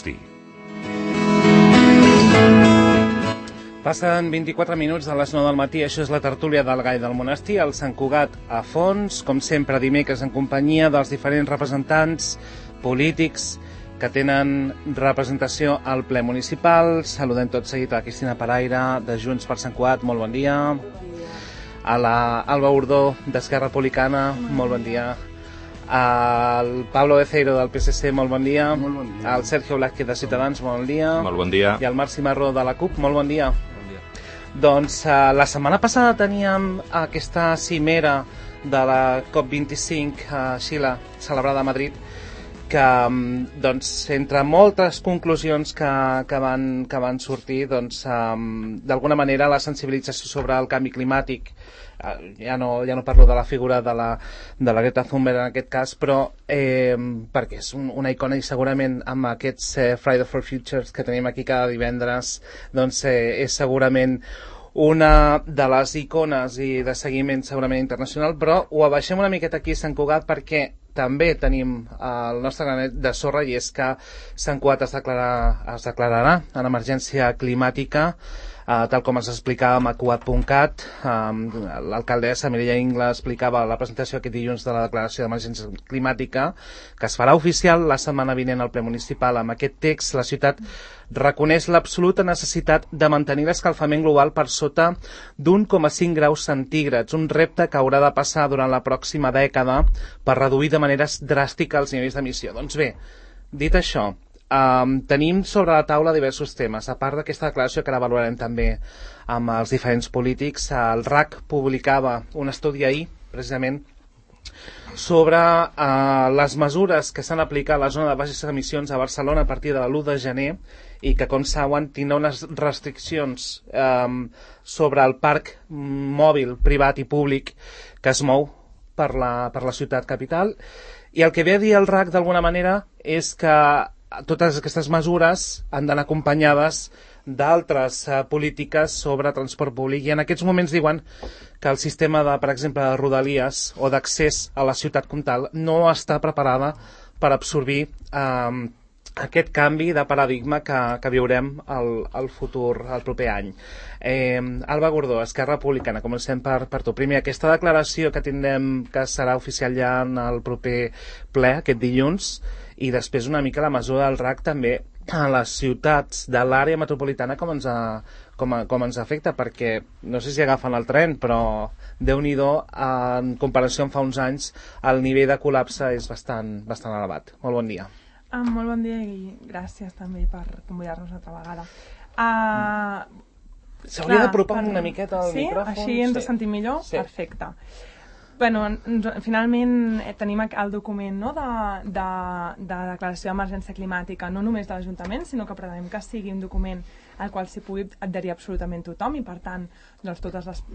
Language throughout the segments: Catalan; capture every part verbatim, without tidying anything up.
Monestir. Passen vint-i-quatre minuts de les nou del matí, això és la tertúlia del Gall del Monestir, al Sant Cugat a fons, com sempre dimecres en companyia dels diferents representants polítics que tenen representació al ple municipal. Saludem tot seguit a la Cristina Paraire, de Junts per Sant Cugat, molt bon dia. A la Alba Urdó, d'Esquerra Republicana, molt bon dia. Al Pablo Beceiro, del P S C, molt bon dia. Molt bon dia. Al Sergio Blázquez, de Ciutadans, molt bon dia. Molt bon dia. I al Marc Cimarro, de la CUP, molt bon dia. Doncs uh, la setmana passada teníem aquesta cimera de la COP vint-i-cinc a Xile, celebrada a Madrid, que doncs, entre moltes conclusions que, que, van, que van sortir, doncs, um, d'alguna manera la sensibilització sobre el canvi climàtic, uh, ja, no, ja no parlo de la figura de la, de la Greta Thunberg en aquest cas, però eh, perquè és un, una icona i segurament amb aquests eh, Friday for Futures que tenim aquí cada divendres, doncs eh, és segurament una de les icones i de seguiment segurament internacional, però ho abaixem una miqueta aquí a Sant Cugat perquè també tenim el nostre granet de sorra, i és que Sant Cugat es, declara, es declararà en emergència climàtica, eh, tal com ens explicàvem a cugat punt cat. Eh, l'alcaldessa Mireia Ingla explicava la presentació aquest dilluns de la declaració d'emergència climàtica, que es farà oficial la setmana vinent al ple municipal. Amb aquest text, la ciutat reconeix l'absoluta necessitat de mantenir l'escalfament global per sota d'un coma cinc graus centígrads, un repte que haurà de passar durant la pròxima dècada per reduir de maneres dràstiques els nivells d'emissió. Doncs bé, dit això, um, tenim sobre la taula diversos temes. A part d'aquesta declaració que ara valorarem també amb els diferents polítics, el R A C publicava un estudi ahir, precisament, sobre uh, les mesures que s'han aplicat a la zona de baixes emissions a Barcelona a partir de l'u de gener, i que, com saben, tindrà unes restriccions um, sobre el parc mòbil privat i públic que es mou per la, per la ciutat capital. I el que ve a dir el R A C d'alguna manera és que totes aquestes mesures han d'anar acompanyades d'altres uh, polítiques sobre transport públic, i en aquests moments diuen que el sistema de, per exemple, de rodalies o d'accés a la ciutat comtal no està preparada per absorbir um, aquest canvi de paradigma que, que viurem al, al futur, al proper any. Eh, Alba Gordó, Esquerra Republicana, comencem per, per tu. Primer, aquesta declaració que tindrem, que serà oficial ja en el proper ple, aquest dilluns, i després una mica la mesura del R A C també a les ciutats de l'àrea metropolitana, com ens, a, com, a, com ens afecta, perquè no sé si agafen el tren, però Déu-n'hi-do, en comparació amb fa uns anys, el nivell de col·lapse és bastant, bastant elevat. Molt bon dia. Ah, molt bon dia i gràcies també per convidar-nos una altra vegada. Uh, S'hauria d'apropar per... una miqueta al sí? micròfon. Així ens sí. sentim millor? Sí. Perfecte. Bueno, ens, finalment eh, tenim el document, no, de, de, de declaració d'emergència climàtica, no només de l'Ajuntament, sinó que pretenem que sigui un document al qual s'hi pugui adherir absolutament tothom, i per tant doncs, totes, les,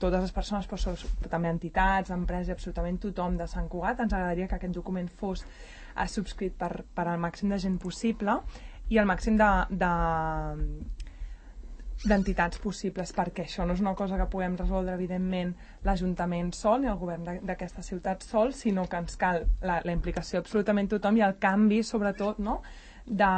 totes les persones, però, però també entitats, empreses, absolutament tothom de Sant Cugat. Ens agradaria que aquest document fos eh, subscrit per, per al màxim de gent possible i el màxim de, de d'entitats possibles, perquè això no és una cosa que puguem resoldre evidentment l'Ajuntament sol ni el govern d'aquesta ciutat sol, sinó que ens cal la, la implicació absolutament tothom i el canvi sobretot, no? de,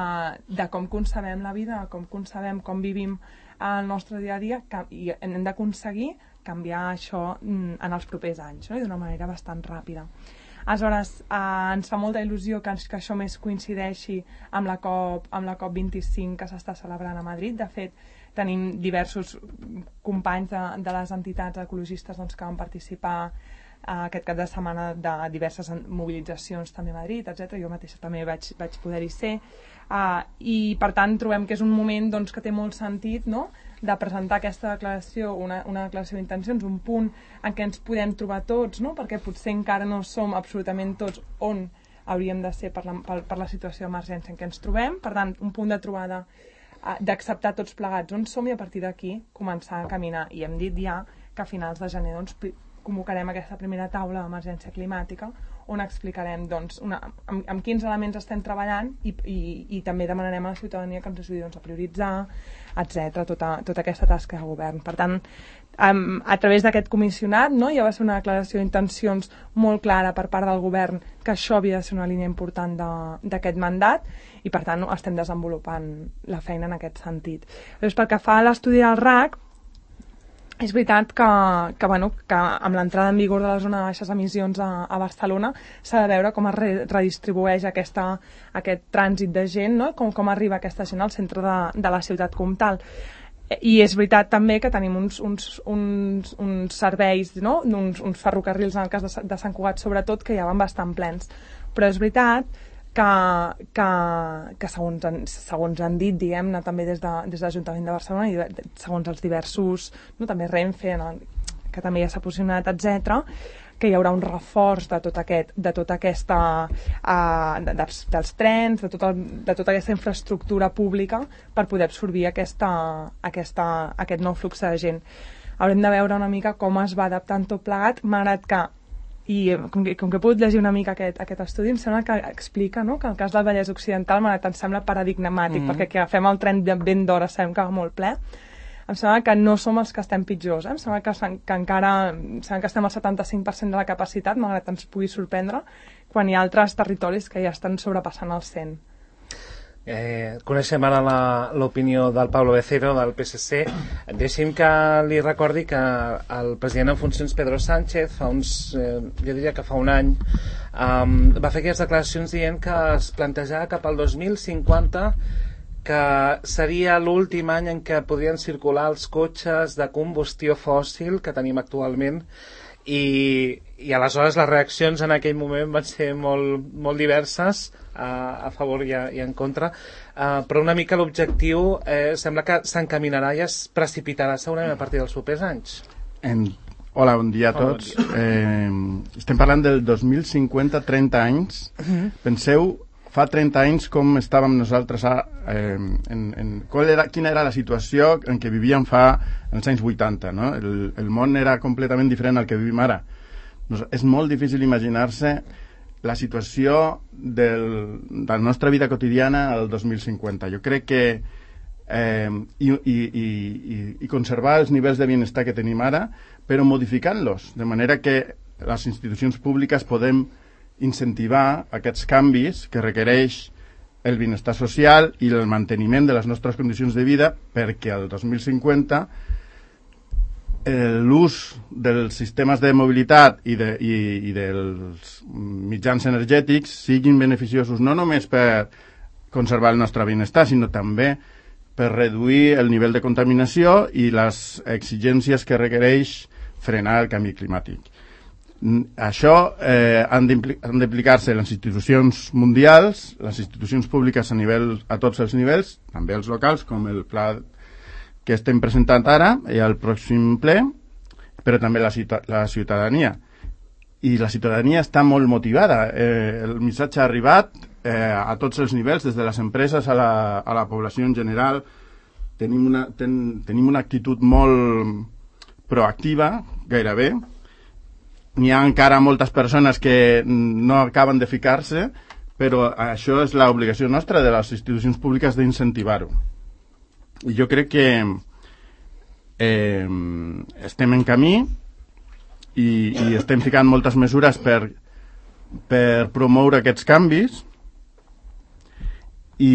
de com concebem la vida, com concebem, com vivim el nostre dia a dia, que, i hem d'aconseguir canviar això en els propers anys, no? I d'una manera bastant ràpida. Aleshores, eh, ens fa molta il·lusió que, que això més coincideixi amb la COP, amb la COP vint-i-cinc que s'està celebrant a Madrid. De fet, tenim diversos companys de, de les entitats ecologistes doncs, que van participar eh, aquest cap de setmana de diverses mobilitzacions també a Madrid, etcètera. Jo mateixa també vaig, vaig poder-hi ser. Uh, I, per tant, trobem que és un moment doncs, que té molt sentit, no?, de presentar aquesta declaració, una, una declaració d'intencions, un punt en què ens podem trobar tots, no?, perquè potser encara no som absolutament tots on hauríem de ser per la, per, per la situació d'emergència en què ens trobem. Per tant, un punt de trobada d'acceptar tots plegats on som i a partir d'aquí començar a caminar. I hem dit ja que a finals de gener doncs, convocarem aquesta primera taula d'emergència climàtica on explicarem doncs, una, amb, amb quins elements estem treballant i, i, i també demanarem a la ciutadania que ens ajudi doncs, a prioritzar, etcètera, tota, tota aquesta tasca de govern. Per tant, um, a través d'aquest comissionat, no, ja va ser una declaració d'intencions molt clara per part del govern que això havia de ser una línia important d'aquest mandat i per tant no, estem desenvolupant la feina en aquest sentit. Llavors, pel que fa a l'estudi del R A C, és veritat que, que, bueno, que amb l'entrada en vigor de la zona de baixes emissions a, a Barcelona s'ha de veure com es re, redistribueix aquesta, aquest trànsit de gent, no? com, com arriba aquesta gent al centre de, de la ciutat comtal. I és veritat també que tenim uns, uns, uns, uns serveis, no? uns, uns ferrocarrils, en el cas de, de Sant Cugat sobretot, que ja van bastant plens. Però és veritat que, que, que segons, han, segons han dit, diguem-ne, també des de, des de l'Ajuntament de Barcelona i segons els diversos, no, també Renfe, no, que també ja s'ha posicionat, etcètera, que hi haurà un reforç de tot aquest, de tota aquesta, uh, de, dels, dels trens, de tota, de tota aquesta infraestructura pública per poder absorbir aquesta, aquesta, aquest nou flux de gent. Haurem de veure una mica com es va adaptant tot plegat, malgrat que i com que, com que he pogut llegir una mica aquest, aquest estudi, em sembla que explica, no?, que el cas del Vallès Occidental malgrat em sembla paradigmàtic, mm-hmm. perquè que agafem el tren de ben d'hora sabem que va molt ple. Em sembla que no som els que estem pitjors, eh? Em sembla que, que encara em sembla que estem al setanta-cinc per cent de la capacitat, malgrat ens pugui sorprendre, quan hi ha altres territoris que ja estan sobrepassant el cent. Eh, coneixem ara l'opinió del Pablo Becerro del P S C. Deixi'm que li recordi que el president en funcions Pedro Sánchez fa uns, eh, jo diria que fa un any um, va fer aquestes declaracions dient que es plantejava cap al dos mil cinquanta que seria l'últim any en què podrien circular els cotxes de combustió fòssil que tenim actualment i, i aleshores les reaccions en aquell moment van ser molt, molt diverses a, a favor i, a, i en contra, uh, però una mica l'objectiu eh, sembla que s'encaminarà i es precipitarà segurament a partir dels propers anys. En... Hola, bon dia a tots. Hola, bon dia. Eh, estem parlant del dos mil cinquanta, trenta anys. Uh-huh. Penseu, fa trenta anys com estàvem nosaltres a, eh, en, en, qual era, quina era la situació en què vivíem fa en els anys vuitanta, no? El, el món era completament diferent al que vivim ara. Nos, és molt difícil imaginar-se la situació del, de la nostra vida quotidiana al dos mil cinquanta. Jo crec que eh, i, i, i, i conservar els nivells de benestar que tenim ara, però modificant-los, de manera que les institucions públiques podem incentivar aquests canvis que requereix el benestar social i el manteniment de les nostres condicions de vida perquè al dos mil cinquanta eh, l'ús dels sistemes de mobilitat i, de, i, i dels mitjans energètics siguin beneficiosos no només per conservar el nostre benestar, sinó també per reduir el nivell de contaminació i les exigències que requereix frenar el canvi climàtic. Això eh, han d'implicar-se les institucions mundials, les institucions públiques a, nivell, a tots els nivells, també els locals, com el pla que estem presentant ara i al pròxim ple, però també la, la ciutadania. I la ciutadania està molt motivada. Eh, el missatge ha arribat eh, a tots els nivells, des de les empreses a la, a la població en general. Tenim una, ten, tenim una actitud molt proactiva, gairebé. N'hi ha encara moltes persones que no acaben de ficar-se, però això és l'obligació nostra de les institucions públiques d'incentivar-ho. I jo crec que eh, estem en camí i, i estem ficant moltes mesures per, per promoure aquests canvis i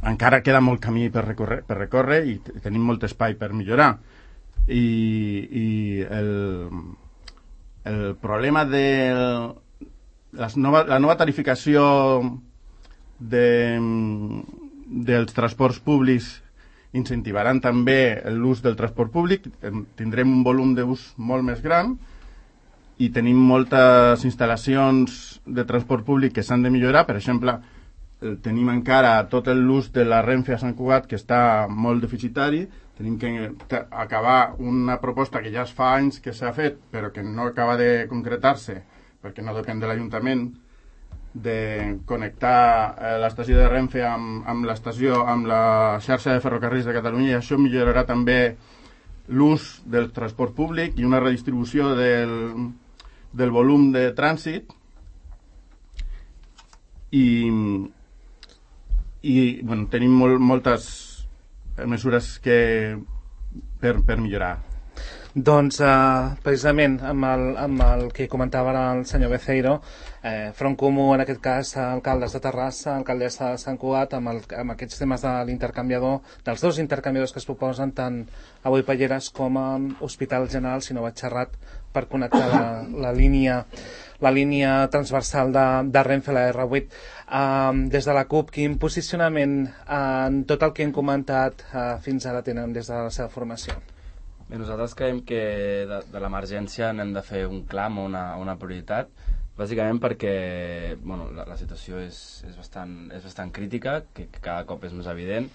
encara queda molt camí per recórrer, per recórrer i tenim molt espai per millorar. I, i el... El problema de les nova, la nova tarificació de, dels transports públics incentivaran també l'ús del transport públic, tindrem un volum d'ús molt més gran i tenim moltes instal·lacions de transport públic que s'han de millorar. Per exemple, tenim encara tot l'ús de la Renfe a Sant Cugat que està molt deficitari. Tenim que acabar una proposta que ja es fa anys que s'ha fet, però que no acaba de concretar-se, perquè no depèn de l'Ajuntament, de connectar l'estació de Renfe amb, amb l'estació, amb la xarxa de ferrocarrils de Catalunya, i això millorarà també l'ús del transport públic i una redistribució del, del volum de trànsit i, i bueno, tenim molt, moltes mesures que per, per millorar. Doncs uh, precisament amb el, amb el que comentava ara el senyor Beceiro, eh, Front Comú, en aquest cas alcaldes de Terrassa, alcaldessa de Sant Cugat, amb, el, amb aquests temes de l'intercanviador, dels dos intercanviadors que es proposen, tant a Boipalleres com a Hospital General, si no vaig xerrat, per connectar la, la línia la línia transversal de, de Renfe, la erre vuit. Uh, des de la CUP, quin posicionament uh, en tot el que hem comentat uh, fins ara tenen des de la seva formació? Bé, nosaltres creiem que de, de l'emergència n'hem de fer un clam o una, una prioritat, bàsicament perquè bueno, la, la situació és, és, bastant, és bastant crítica, que, que cada cop és més evident.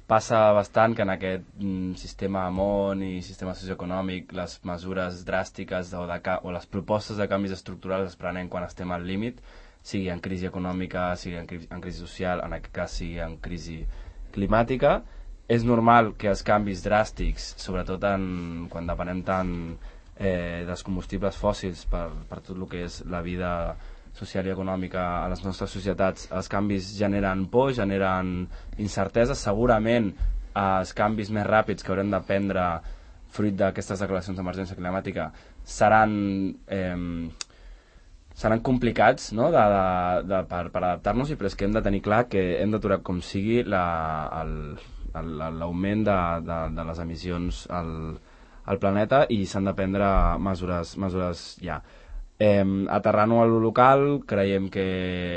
Passa bastant que en aquest mm, sistema món i sistema socioeconòmic les mesures dràstiques o, de, o les propostes de canvis estructurals es prenen quan estem al límit, sigui en crisi econòmica, sigui en, cri en crisi social, en aquest cas sigui en crisi climàtica. És normal que els canvis dràstics, sobretot en, quan depenem tant eh, dels combustibles fòssils per, per tot el que és la vida social i econòmica a les nostres societats, els canvis generen por, generen incertesa. Segurament els canvis més ràpids que haurem de prendre fruit d'aquestes declaracions d'emergència climàtica seran, eh, seran complicats, no? de, de, de, per, per adaptar-nos, i però és que hem de tenir clar que hem d'aturar com sigui la, el l'augment de, de, de les emissions al, al planeta, i s'han de prendre mesures, mesures ja. Eh, aterrant-ho a lo local, creiem que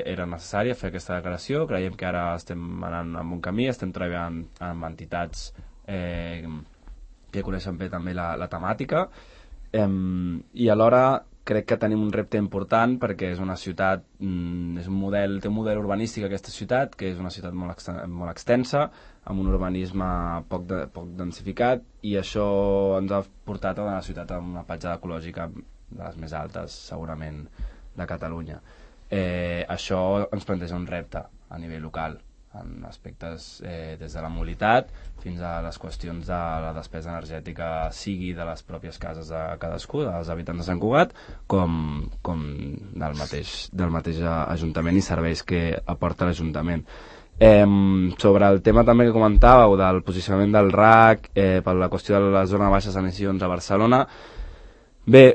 era necessari fer aquesta declaració, creiem que ara estem anant en un camí, estem treballant amb entitats eh, que coneixen bé també la, la temàtica, eh, i alhora crec que tenim un repte important perquè és una ciutat, mm, és un model, té un model urbanístic aquesta ciutat, que és una ciutat molt, ex, molt extensa, amb un urbanisme poc, de, poc densificat, i això ens ha portat a una ciutat amb una petjada ecològica de les més altes, segurament, de Catalunya. Eh, això ens planteja un repte a nivell local, en aspectes eh, des de la mobilitat fins a les qüestions de la despesa energètica, sigui de les pròpies cases de cadascú, dels habitants de Sant Cugat, com, com del, mateix, del mateix Ajuntament i serveis que aporta l'Ajuntament. Eh, sobre el tema també que comentàveu del posicionament del R A C eh, per la qüestió de la zona de baixes emissions a Barcelona, bé,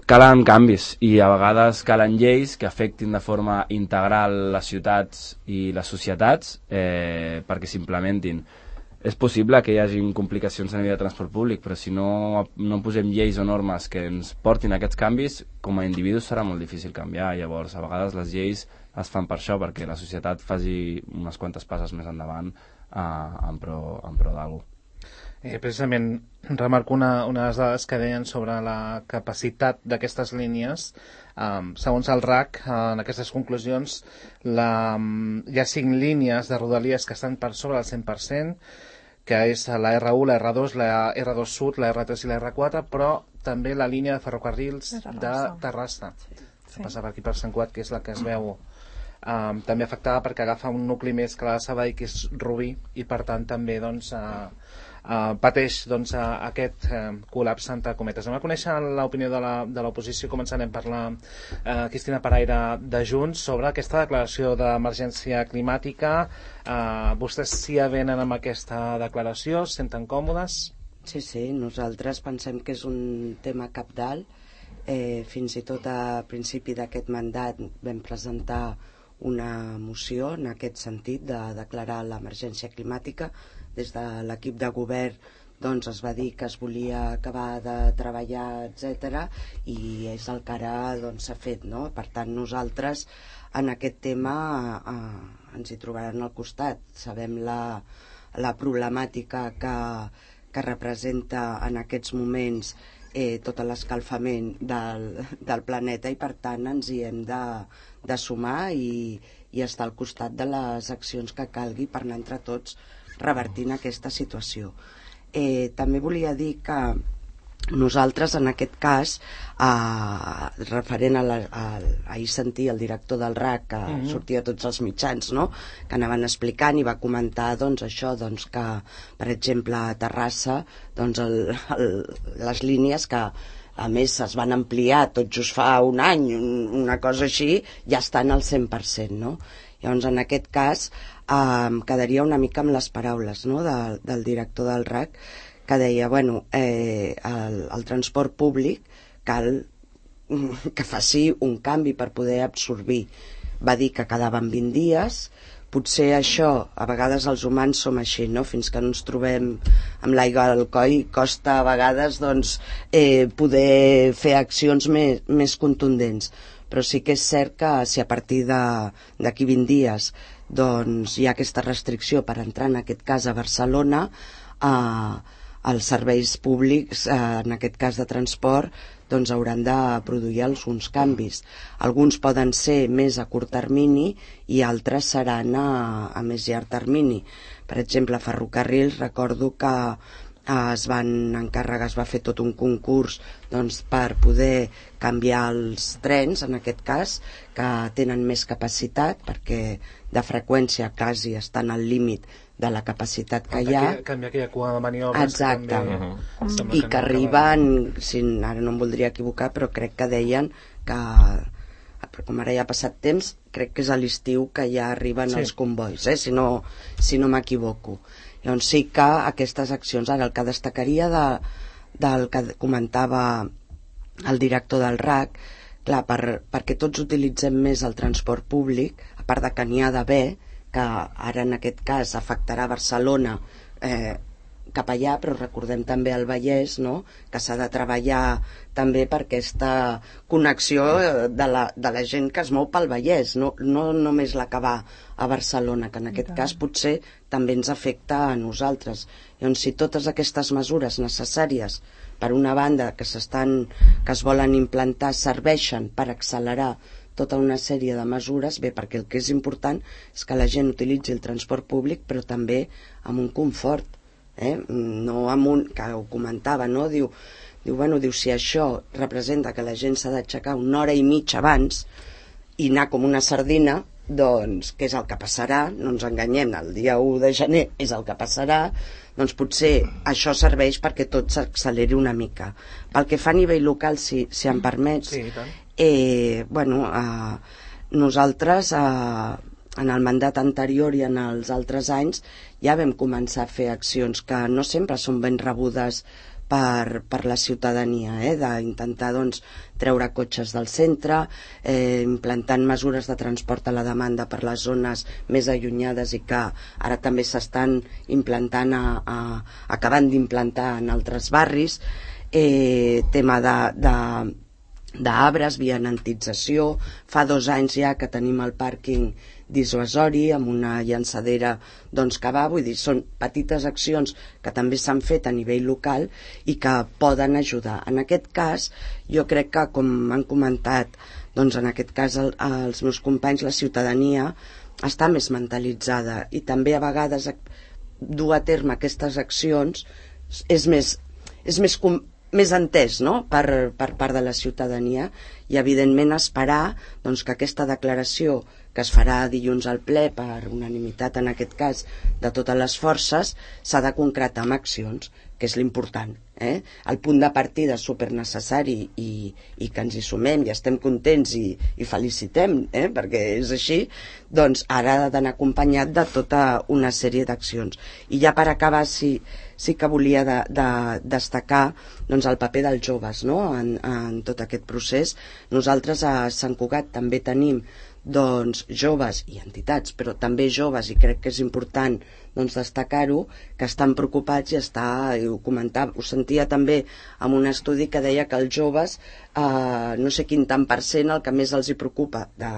calen canvis i a vegades calen lleis que afectin de forma integral les ciutats i les societats eh, perquè s'implementin. És possible que hi hagi complicacions a nivell de transport públic, però si no, no posem lleis o normes que ens portin a aquests canvis, com a individus serà molt difícil canviar. Llavors, a vegades les lleis es fan per això, perquè la societat faci unes quantes passes més endavant eh, en pro, en pro d'algú. Eh, precisament remarco una, una de les dades que deien sobre la capacitat d'aquestes línies. Um, segons el R A C, uh, en aquestes conclusions la, um, hi ha cinc línies de rodalies que estan per sobre del cent per cent, que és la erre u, la erre dos, la erre dos Sud, la erre tres i la erre quatre, però també la línia de ferrocarrils de Terrassa, de Terrassa sí. que passa per aquí per Sant Cugat, que és la que es veu um, també afectada perquè agafa un nucli més que la de Sabadell, que és Rubí, i per tant també doncs, uh, Uh, pateix doncs, uh, aquest uh, col·lapse entre cometes. Anem a conèixer l'opinió de l'oposició. Començarem per la uh, Cristina Paraire de Junts sobre aquesta declaració d'emergència climàtica. Uh, vostès s'hi avenen amb aquesta declaració? Es senten còmodes? Sí, sí, nosaltres pensem que és un tema cabdal. Eh, fins i tot a principi d'aquest mandat vam presentar una moció en aquest sentit de declarar l'emergència climàtica. Des de l'equip de govern doncs, es va dir que es volia acabar de treballar, etcètera, i és el que ara doncs, s'ha fet, no? Per tant, nosaltres en aquest tema eh, ens hi trobaran al costat. Sabem la, la problemàtica que, que representa en aquests moments eh, tot l'escalfament del, del planeta, i per tant ens hi hem de, de sumar i, i estar al costat de les accions que calgui per anar entre tots revertint aquesta situació. Eh, també volia dir que nosaltres en aquest cas eh, referent a, la, a ahir sentir el director del R A C que uh-huh. sortia a tots els mitjans, no? Que anaven explicant i va comentar doncs, això, doncs, que per exemple a Terrassa doncs, el, el, les línies que a més es van ampliar tot just fa un any, una cosa així, ja estan al cent per cent, no? Llavors, en aquest cas, eh, quedaria una mica amb les paraules, no?, de, del director del R A C, que deia, bueno, eh, el, el transport públic cal que faci un canvi per poder absorbir. Va dir que quedaven vint dies, potser això, a vegades els humans som així, no? Fins que no ens trobem amb l'aigua al coll, costa a vegades doncs, eh, poder fer accions més, més contundents. Però sí que és cert que si a partir d'aquí vint dies doncs, hi ha aquesta restricció per entrar, en aquest cas a Barcelona, eh, els serveis públics, eh, en aquest cas de transport, doncs hauran de produir alguns canvis. Alguns poden ser més a curt termini i altres seran a, a més llarg termini. Per exemple, a Ferrocarrils recordo que eh, es van encarregar, es va fer tot un concurs doncs, per poder canviar els trens, en aquest cas, que tenen més capacitat, perquè de freqüència quasi estan al límit de la capacitat que hi ha. Canviar aquella cua de maniobres. Exacte. Que també, uh-huh. I que, que arriben, si, ara no em voldria equivocar, però crec que deien que, com ara ja ha passat temps, crec que és a l'estiu que ja arriben sí. els convois, eh? si no, si no m'equivoco. Llavors sí que aquestes accions, ara el que destacaria de, del que comentava el director del R A C, clar, per, perquè tots utilitzem més el transport públic, a part de que n'hi ha d'haver, que ara en aquest cas afectarà Barcelona eh, cap allà, però recordem també el Vallès, no?, que s'ha de treballar també per aquesta connexió de la, de la gent que es mou pel Vallès, no, no només la que va a Barcelona, que en aquest cas potser també ens afecta a nosaltres. Llavors, si totes aquestes mesures necessàries, per una banda, que s'estan, que es volen implantar, serveixen per accelerar tota una sèrie de mesures, bé, perquè el que és important és que la gent utilitzi el transport públic, però també amb un confort, eh? No amb un, que ho comentava, no? Diu, diu, bueno, diu, si això representa que la gent s'ha d'aixecar una hora i mitja abans i anar com una sardina, doncs, què és el que passarà? No ens enganyem, el dia u de gener és el que passarà, doncs potser això serveix perquè tot s'acceleri una mica. Pel que fa a nivell local, si, si em permets, sí, tant. Eh, bueno, eh, nosaltres eh, en el mandat anterior i en els altres anys ja vam començar a fer accions que no sempre són ben rebudes per, per la ciutadania, eh, d'intentar doncs, treure cotxes del centre, eh, implantant mesures de transport a la demanda per les zones més allunyades i que ara també s'estan implantant, a, a, acabant d'implantar en altres barris, eh, tema de... de d'arbres, vianantització. Fa dos anys ja que tenim el pàrquing dissuasori amb una llançadera doncs, que va, vull dir, són petites accions que també s'han fet a nivell local i que poden ajudar. En aquest cas, jo crec que, com han comentat, doncs en aquest cas el, els meus companys, la ciutadania està més mentalitzada i també a vegades dur a terme aquestes accions és més, és més com més entès, no?, per, per part de la ciutadania i evidentment esperar doncs, que aquesta declaració que es farà dilluns al ple per unanimitat en aquest cas de totes les forces s'ha de concretar amb accions, que és l'important, eh? El punt de partida és supernecessari i, i que ens hi sumem i estem contents i, i felicitem, eh? Perquè és així, doncs ara ha d'anar acompanyat de tota una sèrie d'accions. I ja per acabar, sí, sí que volia de, de destacar doncs, el paper dels joves, no?, en, en tot aquest procés. Nosaltres a Sant Cugat també tenim doncs, joves i entitats, però també joves, i crec que és important doncs, destacar-ho, que estan preocupats i està, i ho comentava, ho sentia també en un estudi que deia que els joves, eh, no sé quin tant per cent, el que més els hi preocupa, de,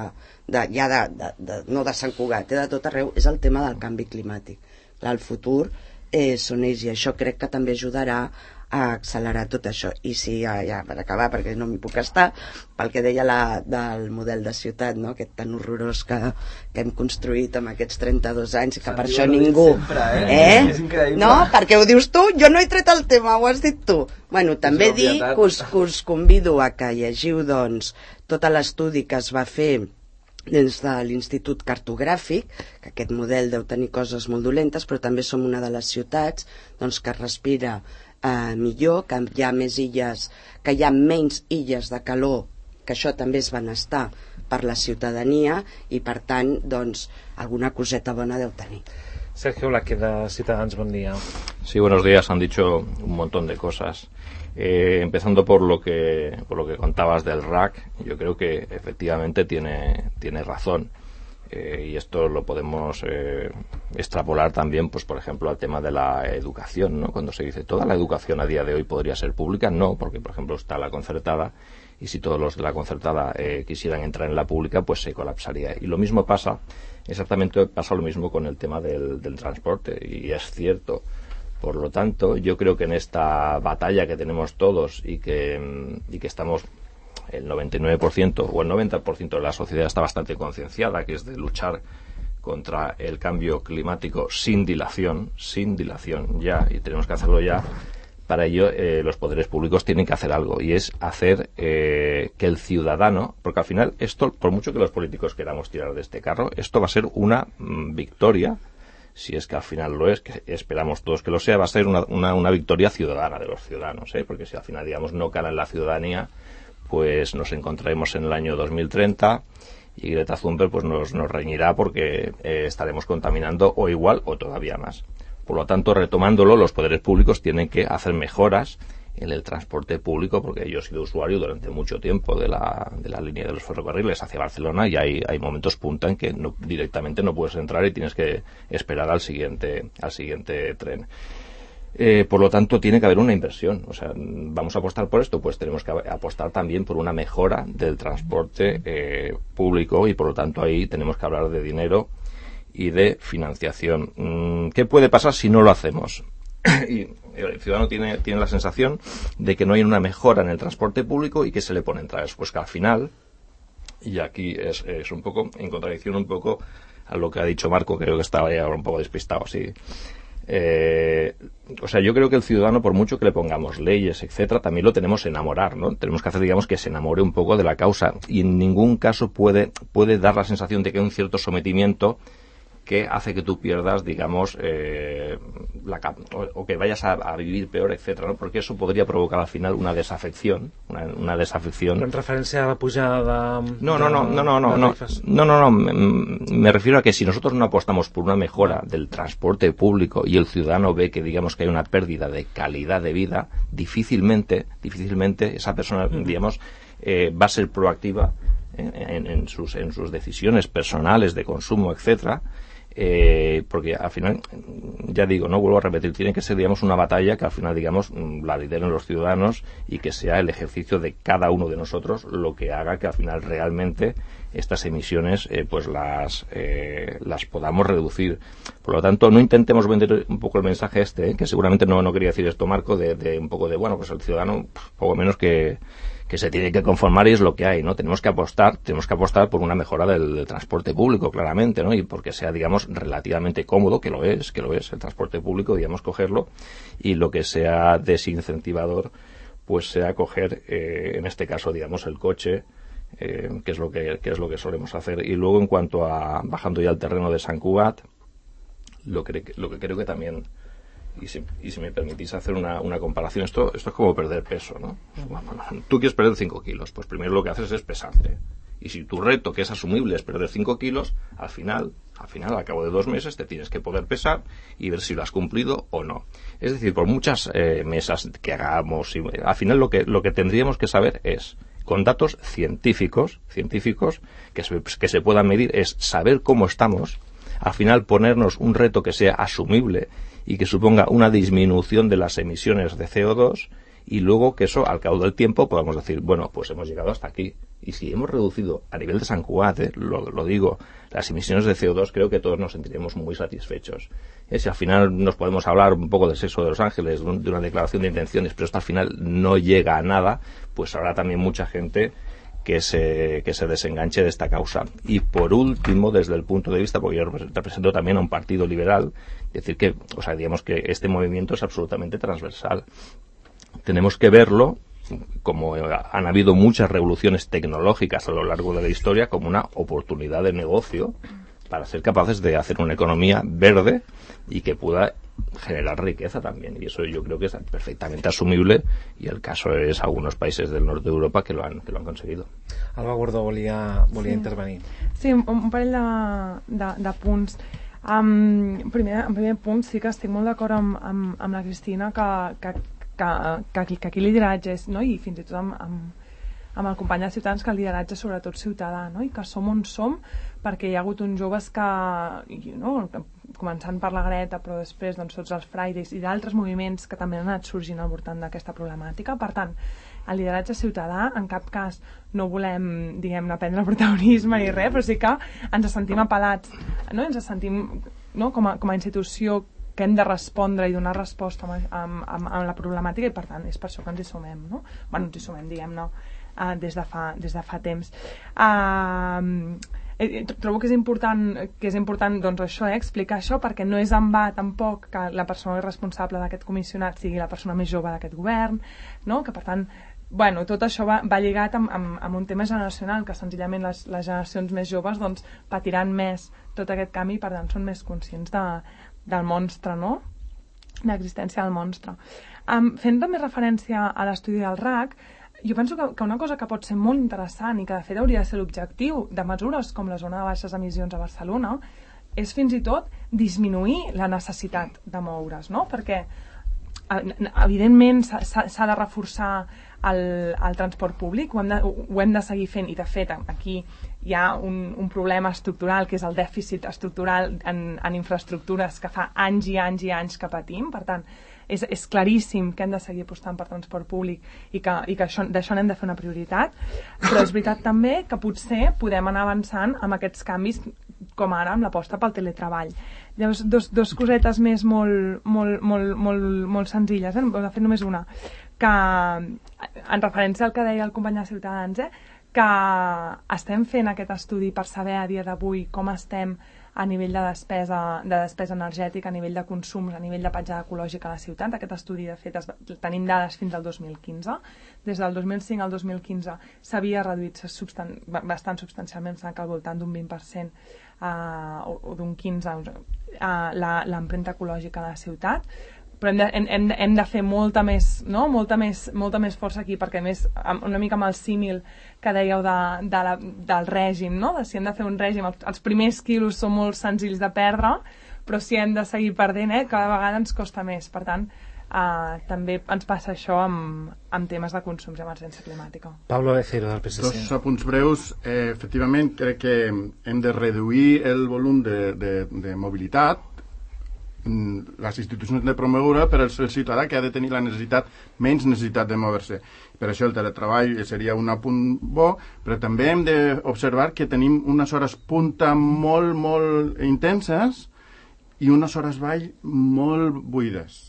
de, ja de, de, de, no de Sant Cugat, eh, de tot arreu, és el tema del canvi climàtic. Clar, el futur eh, són ells, i això crec que també ajudarà a accelerar tot això. I sí, ja, ja per acabar, perquè no m'hi puc estar, pel que deia la, del model de ciutat, no?, aquest tan horrorós que, que hem construït amb aquests trenta-dos anys, que per això ningú... Sempre, eh? eh? És increïble. No, perquè ho dius tu, jo no he tret el tema, ho has dit tu. Bueno, també dir que us, que us convido a que llegiu, doncs, tot l'estudi que es va fer des de l'Institut Cartogràfic, que aquest model deu tenir coses molt dolentes, però també som una de les ciutats doncs, que respira eh, millor, que hi ha més illes, que hi ha menys illes de calor, que això també és benestar per la ciutadania i per tant, doncs, alguna coseta bona deu tenir. Sergio Blaque, de Ciutadans, buen día. Sí, buenos días. Han dicho un montón de cosas. Eh, empezando por lo que por lo que contabas del R A C, yo creo que efectivamente tiene tiene razón. Eh, y esto lo podemos eh, extrapolar también, pues por ejemplo, al tema de la educación, ¿no? Cuando se dice toda la educación a día de hoy podría ser pública, no, porque por ejemplo está la concertada, y si todos los de la concertada eh, quisieran entrar en la pública, pues se colapsaría. Y lo mismo pasa, exactamente pasa lo mismo con el tema del, del transporte, y es cierto. Por lo tanto, yo creo que en esta batalla que tenemos todos y que, y que estamos, el noventa y nueve por ciento o el noventa por ciento de la sociedad está bastante concienciada, que es de luchar contra el cambio climático sin dilación, sin dilación ya, y tenemos que hacerlo ya. Para ello, eh, los poderes públicos tienen que hacer algo, y es hacer eh, que el ciudadano, porque al final esto, por mucho que los políticos queramos tirar de este carro, esto va a ser una mm, victoria, si es que al final lo es, que esperamos todos que lo sea, va a ser una, una, una victoria ciudadana de los ciudadanos, ¿eh? Porque si al final, digamos, no cala en la ciudadanía, pues nos encontraremos en el año dos mil treinta y Greta Thunberg pues nos, nos reñirá porque eh, estaremos contaminando o igual o todavía más. Por lo tanto, retomándolo, los poderes públicos tienen que hacer mejoras en el transporte público, porque yo he sido usuario durante mucho tiempo de la, de la línea de los ferrocarriles hacia Barcelona, y hay, hay momentos punta en que no, directamente no puedes entrar y tienes que esperar al siguiente, al siguiente tren. Eh, por lo tanto, tiene que haber una inversión. O sea, ¿vamos a apostar por esto? Pues tenemos que apostar también por una mejora del transporte eh, público, y por lo tanto ahí tenemos que hablar de dinero y de financiación. ¿Qué puede pasar si no lo hacemos? Y el ciudadano tiene, tiene la sensación de que no hay una mejora en el transporte público y que se le ponen trabas. Pues que al final, y aquí es, es un poco en contradicción un poco a lo que ha dicho Marco, creo que estaba ya un poco despistado, sí. Eh, o sea, yo creo que el ciudadano, por mucho que le pongamos leyes, etcétera, también lo tenemos que enamorar, ¿no? Tenemos que hacer, digamos, que se enamore un poco de la causa, y en ningún caso puede, puede dar la sensación de que hay un cierto sometimiento que hace que tú pierdas, digamos, eh, la, o, o que vayas a, a vivir peor, etcétera, ¿no? Porque eso podría provocar al final una desafección, una, una desafección. En referencia a la pujada de, no, no, no, no, no, no, no, no, no, no, me, me refiero a que si nosotros no apostamos por una mejora del transporte público y el ciudadano ve que, digamos, que hay una pérdida de calidad de vida, difícilmente, difícilmente esa persona, uh-huh. digamos, eh, va a ser proactiva en, en, en sus, en sus decisiones personales de consumo, etcétera. Eh, porque al final, ya digo, no vuelvo a repetir, tiene que ser, digamos, una batalla que al final, digamos, la lideren los ciudadanos, y que sea el ejercicio de cada uno de nosotros lo que haga que al final realmente estas emisiones eh, pues las eh, las podamos reducir. Por lo tanto, no intentemos vender un poco el mensaje este, eh, que seguramente no, no quería decir esto Marco, de, de un poco de, bueno, pues el ciudadano poco menos que que se tiene que conformar, y es lo que hay, ¿no? Tenemos que apostar, tenemos que apostar por una mejora del, del transporte público, claramente, ¿no? Y porque sea, digamos, relativamente cómodo, que lo es, que lo es el transporte público, digamos, cogerlo, y lo que sea desincentivador, pues sea coger, eh, en este caso, digamos, el coche, eh, que es lo que, que es lo que solemos hacer. Y luego, en cuanto a, bajando ya al terreno de Sant Cugat, lo que, lo que creo que también, Y si, y si me permitís hacer una, una comparación, esto, esto es como perder peso, ¿no? Bueno, tú quieres perder cinco kilos, pues primero lo que haces es pesarte. Y si tu reto, que es asumible, es perder cinco kilos, al final, al final, al cabo de dos meses, te tienes que poder pesar y ver si lo has cumplido o no. Es decir, por muchas eh, mesas que hagamos, y, al final lo que, lo que tendríamos que saber es, con datos científicos, científicos que se, que se puedan medir, es saber cómo estamos, al final ponernos un reto que sea asumible y que suponga una disminución de las emisiones de C O dos, y luego que eso, al cabo del tiempo, podamos decir, bueno, pues hemos llegado hasta aquí. Y si hemos reducido a nivel de Sant Cugat, eh, lo, lo digo, las emisiones de C O dos, creo que todos nos sentiremos muy satisfechos. Eh, si al final nos podemos hablar un poco del sexo de los ángeles, de, un, de una declaración de intenciones, pero esto al final no llega a nada, pues habrá también mucha gente que se, que se desenganche de esta causa. Y por último, desde el punto de vista, porque yo represento también a un partido liberal, decir que, o sea, digamos que este movimiento es absolutamente transversal. Tenemos que verlo, como han habido muchas revoluciones tecnológicas a lo largo de la historia, como una oportunidad de negocio para ser capaces de hacer una economía verde y que pueda generar riqueza también, y eso yo creo que es perfectamente asumible, y el caso es algunos países del norte de Europa que lo han, que lo han conseguido. Alba Gordó volia, volia sí. intervenir. Sí, un, un parell de, de, de punts. Um, primer, en primer punt sí que estic molt d'acord amb, amb, amb la Cristina que, que, que, que, que aquí el lideratge és, no? I fins i tot amb, amb, amb el company de Ciutadans, que el lideratge és sobretot ciutadà, no? I que som on som perquè hi ha hagut uns joves que, no? Començant per la Greta, però després doncs, tots els Fridays i d'altres moviments que també han anat sorgint al voltant d'aquesta problemàtica. Per tant, el lideratge ciutadà, en cap cas no volem, diguem-ne, prendre protagonisme ni res, però sí que ens sentim apel·lats, no? Ens sentim, no? com, a, com a institució que hem de respondre i donar resposta amb, amb, amb, amb la problemàtica, i per tant és per això que ens hi sumem, no? Bueno, ens hi sumem, diguem-ne, uh, des, de fa, des de fa temps. Uh, trobo que és important, que és important doncs això, eh, explicar això, perquè no és en va tampoc que la persona responsable d'aquest comissionat sigui la persona més jove d'aquest govern, no? Que per tant, bueno, tot això va, va lligat amb, amb, amb un tema generacional, que senzillament les, les generacions més joves doncs, patiran més tot aquest canvi, i per tant són més conscients de, del monstre, no? L'existència del monstre. Um, fent també referència a l'estudi del R A C, jo penso que, que una cosa que pot ser molt interessant i que de fet hauria de ser l'objectiu de mesures com la zona de baixes emissions a Barcelona és fins i tot disminuir la necessitat de moure's, no? Perquè evidentment s'ha de reforçar el, el transport públic, ho hem, de, ho hem de seguir fent, i de fet aquí hi ha un, un problema estructural que és el dèficit estructural en, en infraestructures que fa anys i anys i anys que patim. Per tant, és, és claríssim que hem de seguir apostant per transport públic i que, i que això, d'això n'hem de fer una prioritat, però és veritat també que potser podem anar avançant amb aquests canvis, com ara amb l'aposta pel teletreball. Llavors, dos, dos cosetes més molt, molt, molt, molt, molt senzilles, eh? De fet només una, que en referència al que deia el company de Ciutadans, eh? Que estem fent aquest estudi per saber a dia d'avui com estem a nivell de despesa, de despesa energètica, a nivell de consums, a nivell de petjada ecològica a la ciutat. Aquest estudi, de fet, es, tenim dades fins al dos mil quinze. Des del dos mil cinc al dos mil quinze s'havia reduït substan bastant substancialment, que al voltant d'un vint per cent uh, o, o d'un quinze per cent uh, l'empremta ecològica a la ciutat. Però hem de, hem, hem de fer molta més, no? molta, més, molta més força aquí, perquè més una mica amb el símil que dèieu de, de la, del règim, no? De si hem de fer un règim, els, els primers quilos són molt senzills de perdre, però si hem de seguir perdent, eh, cada vegada ens costa més. Per tant, eh, també ens passa això amb, amb temes de consums i emergència climàtica. Pablo Becero, del P S C. Dos apunts breus. Eh, efectivament, crec que hem de reduir el volum de, de, de mobilitat. Les institucions de promoure per al ciutadà, que ha de tenir la necessitat, menys necessitat de moure-se. Per això el teletreball seria un apunt bo, però també hem d'observar que tenim unes hores punta molt, molt intenses i unes hores vall molt buides.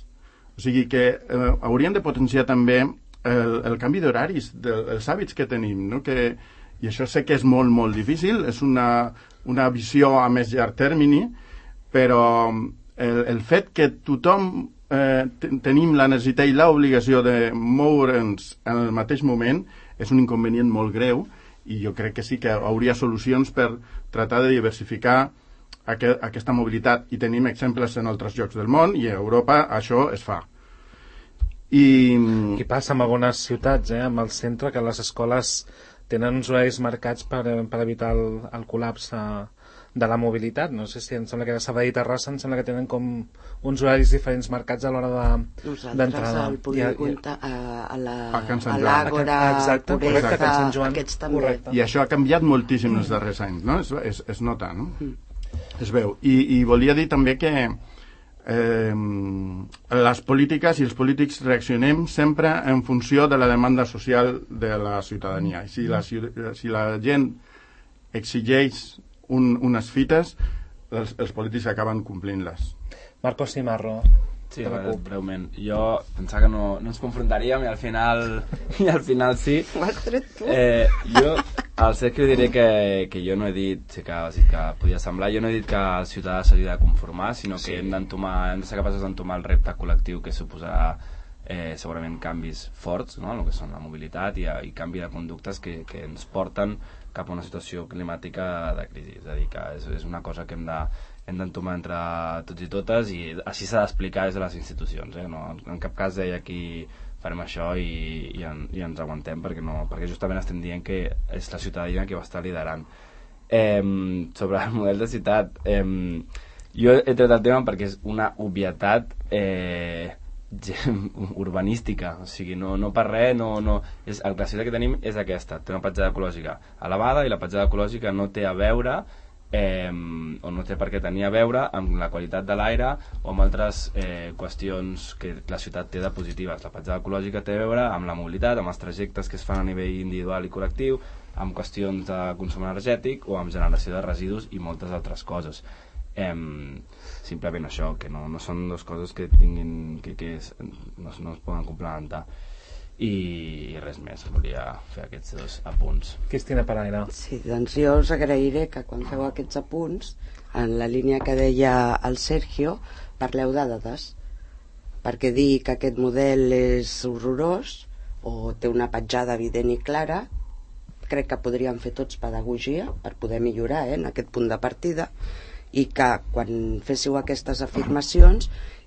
O sigui que eh, hauríem de potenciar també el, el canvi d'horaris, dels hàbits que tenim, no? Que, i això sé que és molt, molt difícil, és una, una visió a més llarg termini, però El, el fet que tothom eh, tenim la necessitat i l'obligació de moure'ns en el mateix moment és un inconvenient molt greu, i jo crec que sí que hauria solucions per tractar de diversificar aquest, aquesta mobilitat, i tenim exemples en altres llocs del món, i a Europa això es fa. I, I passa en algunes ciutats, eh, amb el centre, que les escoles tenen uns horaris marcats per, per evitar el, el col·lapse de la mobilitat. No sé si em sembla que de Sabadell i Terrassa em sembla que tenen com uns horaris diferents marcats a l'hora d'entrada. Nosaltres al polígon, a, a la a a l'Àgora, exacte, correcte, a Sant Joan, aquests també. Correcte. I això ha canviat moltíssim mm. els darrers anys, no? Es, es, es nota, no? Mm. Es veu. I, i volia dir també que eh, les polítiques i els polítics reaccionem sempre en funció de la demanda social de la ciutadania. I si la, si la gent exigeix Un, unes fites, els, els polítics acaben complint-les. Marcos Cimarro. Sí, breument. Jo pensava que no, no ens confrontaríem i al final i al final sí. Ho has tret tu? Eh, jo al Sergio diré que, que jo no he dit, sí que, sí que podia semblar, jo no he dit que el ciutadà s'hauria de conformar, sinó que sí. hem d'entomar, hem de ser capaços d'entomar el repte col·lectiu que suposarà eh, segurament canvis forts, no? En el que són la mobilitat i, i canvi de conductes que, que ens porten cap a una situació climàtica de crisi. És a dir, que és, és una cosa que hem de, hem d'entomar entre tots i totes, i així s'ha d'explicar des de les institucions, eh? No, en cap cas deia aquí farem això i, i, en, i ens aguantem, perquè, no, perquè justament estem dient que és la ciutadania que va estar liderant. Eh, sobre el model de ciutat, eh, jo he tret el tema perquè és una obvietat eh, urbanística, o sigui, no, no per res, no, no, és, la ciutat que tenim és aquesta, té una petjada ecològica elevada, i la petjada ecològica no té a veure eh, o no té per què tenir a veure amb la qualitat de l'aire o amb altres eh, qüestions que la ciutat té de positives. La petjada ecològica té a veure amb la mobilitat, amb els trajectes que es fan a nivell individual i col·lectiu, amb qüestions de consum energètic o amb generació de residus i moltes altres coses. Um, simplement això, que no, no són dues coses que tinguin que, que es, no, no es poden complementar, i, i res més, volia fer aquests dos apunts. Cristina Paraire. Sí, doncs jo us agrairé que quan feu aquests apunts, en la línia que deia el Sergio, parleu de dades, perquè dir que aquest model és horrorós o té una petjada evident i clara, crec que podríem fer tots pedagogia per poder millorar eh, en aquest punt de partida, i que quan féssiu aquestes afirmacions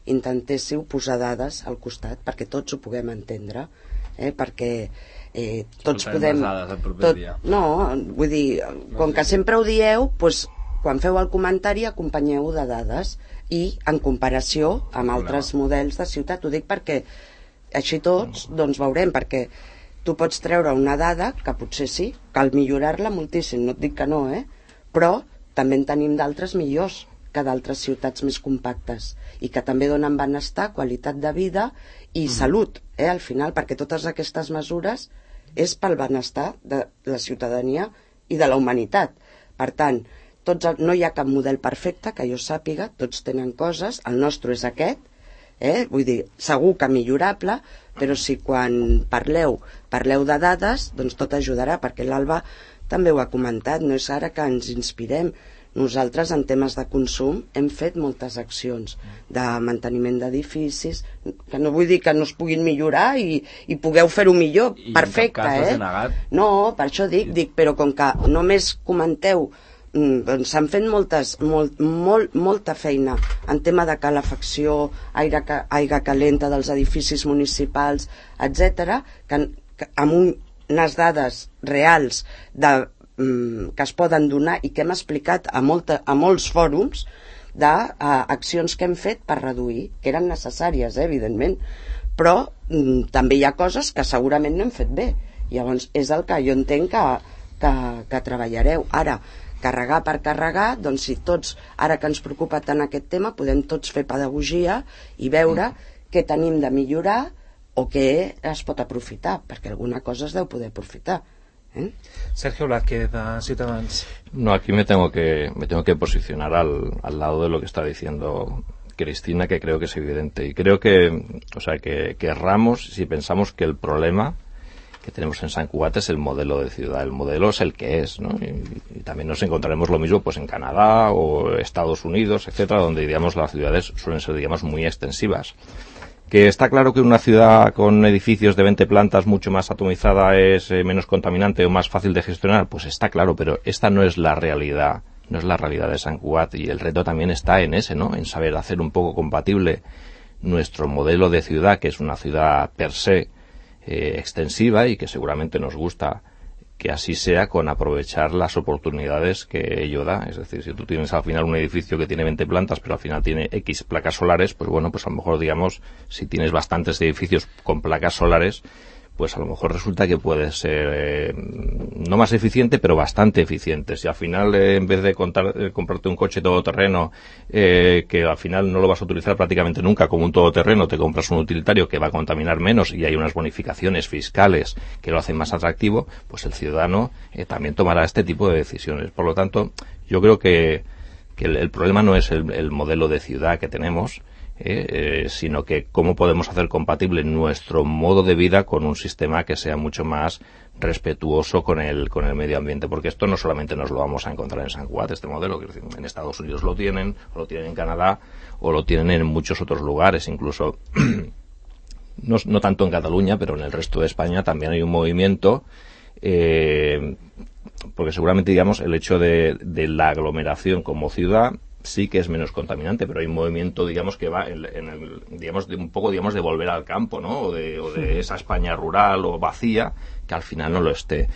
intentéssiu posar dades al costat perquè tots ho puguem entendre, eh? Perquè eh, tots podem tot, no, vull dir, com que sempre ho dieu, doncs, quan feu el comentari acompanyeu de dades i en comparació amb altres models de ciutat. Ho dic perquè així tots doncs veurem, perquè tu pots treure una dada que potser sí, cal millorar-la moltíssim, no et dic que no, eh? Però també en tenim d'altres millors que d'altres ciutats més compactes i que també donen benestar, qualitat de vida i mm. salut, eh, al final, perquè totes aquestes mesures és pel benestar de la ciutadania i de la humanitat. Per tant, tots, no hi ha cap model perfecte que jo sàpiga, tots tenen coses, el nostre és aquest, eh, vull dir, segur que millorable, però si quan parleu, parleu de dades, doncs tot ajudarà, perquè l'Alba també ho ha comentat, no és ara que ens inspirem. Nosaltres en temes de consum hem fet moltes accions de manteniment d'edificis, que no vull dir que no es puguin millorar i, i pugueu fer-ho millor, I perfecte, eh? No, per això dic, dic, però com que només comenteu, doncs s'han fet moltes, molt, molt, molta feina en tema de calefacció, aire, aigua calenta dels edificis municipals, etcètera, que, que amb un unes dades reals de, mm, que es poden donar i que hem explicat a, molta, a molts fòrums d'accions que hem fet per reduir, que eren necessàries, eh, evidentment, però mm, també hi ha coses que segurament no hem fet bé. Llavors és el que jo entenc que, que, que treballareu. Ara, carregar per carregar, doncs si tots, ara que ens preocupa tant aquest tema, podem tots fer pedagogia i veure mm. què tenim de millorar o que es pot aprofitar, perquè alguna cosa es deu poder aprofitar. ¿Eh? Sergio Blázquez, de Ciutadans. No, aquí me tengo que, me tengo que posicionar al, al lado de lo que está diciendo Cristina, que creo que es evidente. Y creo que, o sea, que, que erramos si pensamos que el problema que tenemos en Sant Cugat es el modelo de ciudad. El modelo es el que es, ¿no? Y, y también nos encontraremos lo mismo pues en Canadá o Estados Unidos, etcétera, donde, digamos, las ciudades suelen ser, digamos, muy extensivas. Que está claro que una ciudad con edificios de veinte plantas mucho más atomizada es eh, menos contaminante o más fácil de gestionar, pues está claro, pero esta no es la realidad, no es la realidad de Sant Cugat, y el reto también está en ese, ¿no? En saber hacer un poco compatible nuestro modelo de ciudad, que es una ciudad per se eh, extensiva y que seguramente nos gusta que así sea, con aprovechar las oportunidades que ello da. Es decir, si tú tienes al final un edificio que tiene veinte plantas, pero al final tiene X placas solares, pues bueno, pues a lo mejor, digamos, si tienes bastantes edificios con placas solares, pues a lo mejor resulta que puede ser eh, no más eficiente, pero bastante eficiente. Si al final, eh, en vez de contar, eh, comprarte un coche todoterreno, eh, que al final no lo vas a utilizar prácticamente nunca como un todoterreno, te compras un utilitario que va a contaminar menos y hay unas bonificaciones fiscales que lo hacen más atractivo, pues el ciudadano eh, también tomará este tipo de decisiones. Por lo tanto, yo creo que, que el, el problema no es el, el modelo de ciudad que tenemos, Eh, eh, sino que cómo podemos hacer compatible nuestro modo de vida con un sistema que sea mucho más respetuoso con el con el medio ambiente, porque esto no solamente nos lo vamos a encontrar en Sant Cugat, este modelo, que en Estados Unidos lo tienen, o lo tienen en Canadá, o lo tienen en muchos otros lugares, incluso no, no tanto en Cataluña, pero en el resto de España también hay un movimiento, eh, porque seguramente, digamos, el hecho de, de la aglomeración como ciudad sí que es menos contaminante, pero hay un movimiento, digamos, que va en, en el, digamos, de un poco, digamos, de volver al campo, ¿no? O de, o de esa España rural o vacía, que al final no lo esté.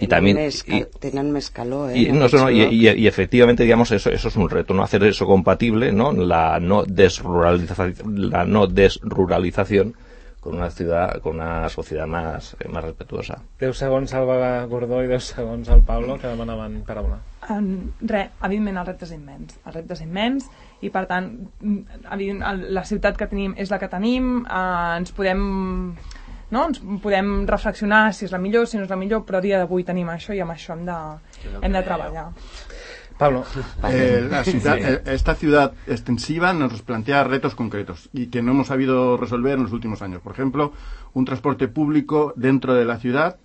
Y también y, tenen més calor, eh? Y, no, no, y, y, y efectivamente, digamos, eso, eso es un reto, no hacer eso compatible, ¿no? La no desruralización, la no desruralización con una ciudad, con una sociedad más, eh, más respetuosa. deu segons Alba Gordó i deu segons al Pablo, que demanaven paraula. Um, res, evidentment el repte és immens, el repte és immens i per tant la ciutat que tenim és la que tenim, uh, ens podem no? ens podem reflexionar si és la millor, si no és la millor, però a dia d'avui tenim això i amb això hem de, hem de treballar. Pablo. Eh, la ciudad, eh, esta ciudad extensiva nos plantea retos concretos y que no hemos sabido resolver en los últimos años. Por ejemplo, un transporte público dentro de la ciudad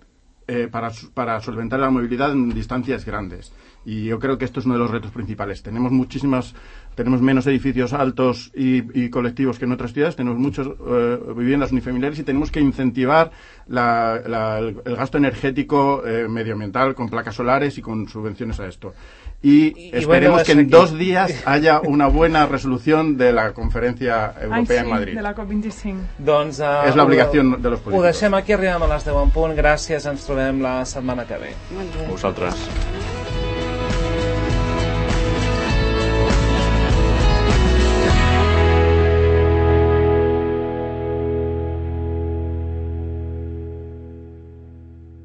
eh, para, para solventar la movilidad en distancias grandes. Y yo creo que esto es uno de los retos principales. Tenemos muchísimas, tenemos menos edificios altos y, y colectivos que en otras ciudades, tenemos muchas eh, viviendas unifamiliares y tenemos que incentivar la, la, el, el gasto energético eh, medioambiental con placas solares y con subvenciones a esto. Y, y esperemos bueno, que en aquí. dos días haya una buena resolución de la conferencia europea Ai, sí, en Madrid. De la COP vint-i-cinc. Doncs, uh, és l'obligació de los políticos. Ho deixem aquí, arribem a les deu en punt. Gràcies, ens trobem la setmana que ve. Vosaltres.